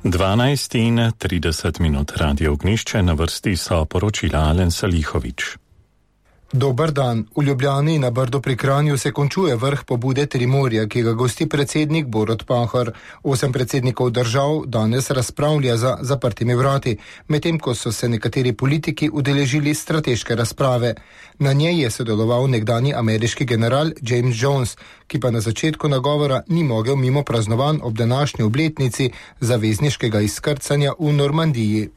12:30 Radio Ognišče, na vrsti so poročila Alen Salihovič. Dober dan. V Ljubljani na Brdu pri Kranju se končuje vrh pobude Trimorja, ki ga gosti predsednik Borut Pahor. 8 predsednikov držav danes razpravlja za zaprtimi vrati, medtem ko so se nekateri politiki udeležili strateške razprave. Na njej je sodeloval nekdanji ameriški general James Jones, ki pa na začetku nagovora ni mogel mimo praznovanj ob današnji obletnici zavezniškega izkrcanja v Normandiji.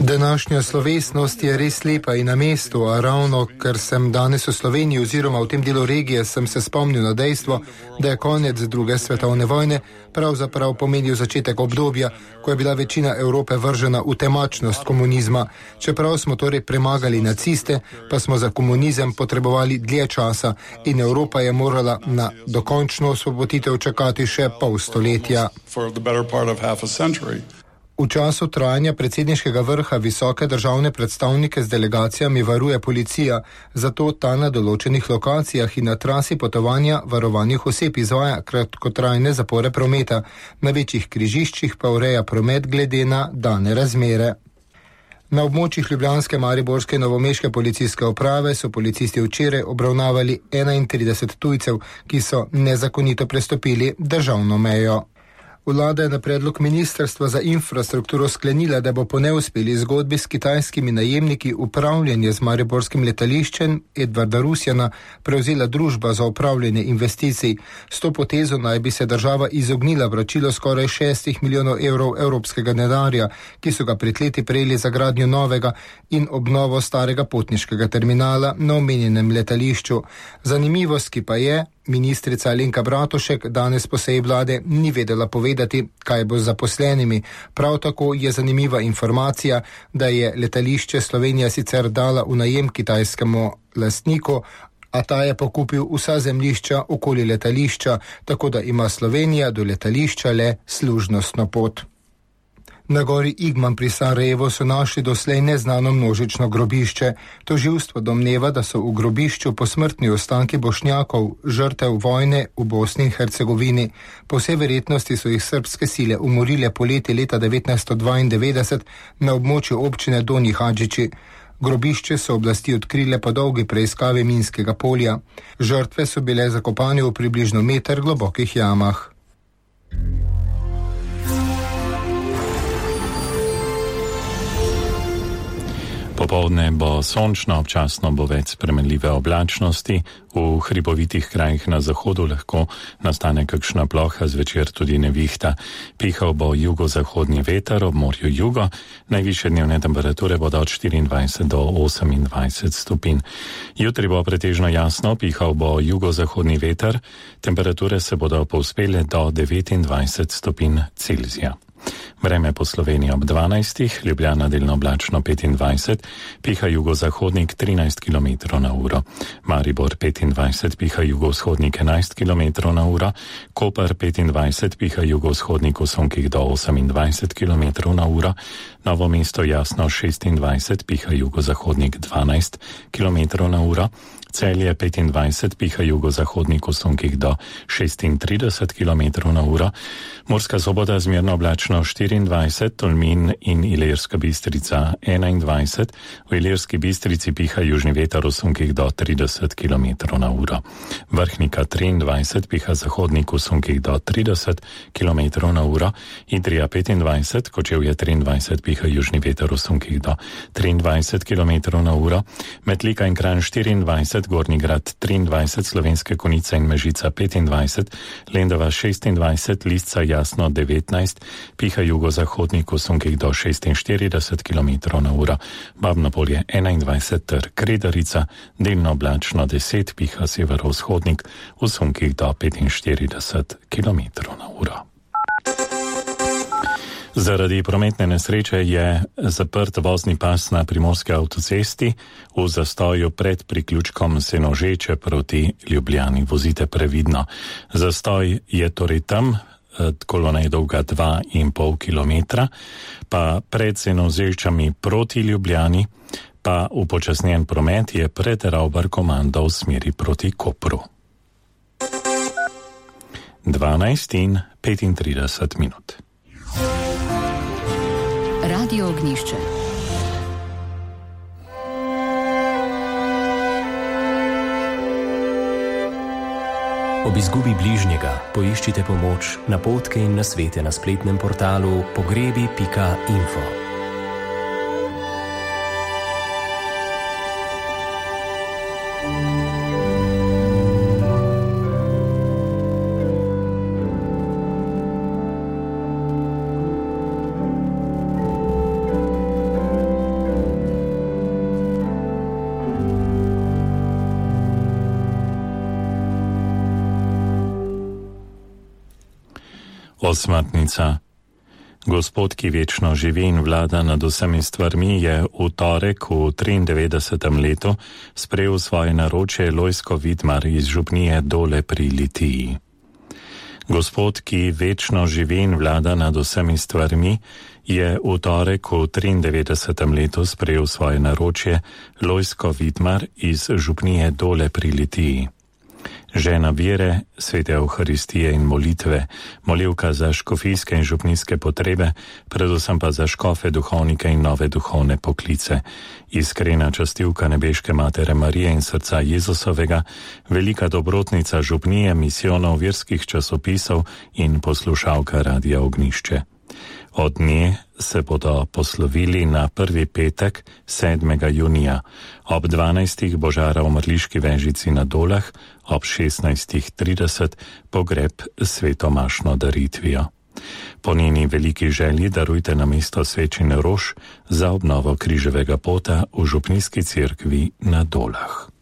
Današnja slovesnost je res lepa in na mestu, a ravno ker sem danes v Sloveniji oziroma v tem delu regije, sem se spomnil na dejstvo, da je konec druge svetovne vojne pravzaprav pomenil začetek obdobja, ko je bila večina Evrope vržena v temačnost komunizma. Čeprav smo torej premagali naciste, pa smo za komunizem potrebovali dlje časa in Evropa je morala na dokončno osvoboditev čakati še pol stoletja. V času trajanja predsedniškega vrha visoke državne predstavnike z delegacijami varuje policija, zato ta na določenih lokacijah in na trasi potovanja varovanih oseb izvaja kratkotrajne zapore prometa, na večjih križiščih pa ureja promet glede na dane razmere. Na območjih ljubljanske, mariborske in novomeške policijske uprave so policisti včeraj obravnavali 31 tujcev, ki so nezakonito prestopili državno mejo. Vlada je na predlog Ministrstva za infrastrukturo sklenila, da bo po neuspeli zgodbi s kitajskimi najemniki upravljanje z mariborskim letališčem Edvarda Rusjana prevzela družba za upravljanje investicij. S to potezo naj bi se država izognila vračilo skoraj 6 milijonov evrov evropskega denarja, ki so ga pred leti prejeli za gradnjo novega in obnovo starega potniškega terminala na omenjenem letališču. Zanimivost, ki pa je, ministrica Alenka Bratušek danes po seji vlade ni vedela povedati, kaj bo z zaposlenimi. Prav tako je zanimiva informacija, da je letališče Slovenija sicer dala v najem kitajskemu lastniku, a ta je pokupil vsa zemljišča okoli letališča, tako da ima Slovenija do letališča le služnostno pot. Na gori Igman pri Sarajevu so našli doslej neznano množično grobišče. Tožilstvo domneva, da so v grobišču posmrtni ostanki Bošnjakov, žrtev vojne v Bosni in Hercegovini. Po vsej verjetnosti so jih srbske sile umorile poleti leta 1992 na območju občine Donji Hadžići. Grobišče so oblasti odkrile po dolgi preiskavi minskega polja. Žrtve so bile zakopane v približno meter globokih jamah. Popoldne bo sončno, občasno bo več spremenljive oblačnosti, v hribovitih krajih na zahodu lahko nastane kakšna ploha, zvečer tudi nevihta. Pihal bo jugozahodni veter, ob morju jugo, najvišje dnevne temperature bodo od 24 do 28 stopinj. Jutri bo pretežno jasno, pihal bo jugozahodni veter, temperature se bodo povzpele do 29 stopinj Celzija. Vreme po Sloveniji ob 12, Ljubljana delno oblačno 25, piha jugozahodnik 13 km na uro, Maribor 25, piha jugovzhodnik 11 km na uro, Koper 25, piha jugovzhodnik v sunkih do 28 km na uro, Novo mesto jasno 26, piha jugozahodnik 12 km na uro, Celje 25, piha jugozahodnik v sunkih do 36 km na uro, Murska Sobota zmerno oblačno 24, Tolmin in Ilirska Bistrica 21, v Ilirski Bistrici piha južni veter v sunkih do 30 km na uro. Vrhnika 23, piha zahodnik v sunkih do 30 km na uro, Idrija 25, Kočevje 23, piha južni veter v sunkih do 23 km na uro, Metlika in Kranj 24, Gornji Grad 23, Slovenske Konjice in Mežica 25, Lendava 26, Lisca jasno 19, piha jugozahodnik v sunkih do 46 km na uro, Babno Polje 21 ter Kredarica, delno oblačno 10, piha severovzhodnik v sunkih do 45 km na uro. Zaradi prometne nesreče je zaprt vozni pas na primorski avtocesti v zastoju pred priključkom Senožeče proti Ljubljani. Vozite previdno. Zastoj je torej tam, kolona je dolga 2,5 km, pa pred Senožečami proti Ljubljani, pa upočasnjen promet je pred Ravbar komando v smeri proti Kopru. 12:35. Radio Ognišče. Ob izgubi bližnjega poiščite pomoč, napotke in nasvete na spletnem portalu pogrebi.info. Osmrtnica. Gospod, ki večno živi in vlada nad vsemi stvarmi, je v torek v 93. letu sprejel svoje naročje Lojzko Vidmar iz župnije Dole pri Litiji. Gospod, ki večno živi in vlada nad vsemi stvarmi, je v torek v 93. letu sprejel svoje naročje Lojzko Vidmar iz župnije Dole pri Litiji. Žena vere, svete Evharistije in molitve, molivka za škofijske in župnijske potrebe, predvsem pa za škofe, duhovnike in nove duhovne poklice. Iskrena častilka nebeške Matere Marije in srca Jezusovega, velika dobrotnica župnije, misijonov, verskih časopisov in poslušalka Radia Ognišče. Od nje se bodo poslovili na prvi petek 7. junija, ob 12. Božara v Mrliški Vežici na Dolah, ob 16.30 pogreb svetomašno daritvijo. Po njeni veliki želji darujte namesto svečine rož za obnovo križevega pota v župnijski cerkvi na Dolah.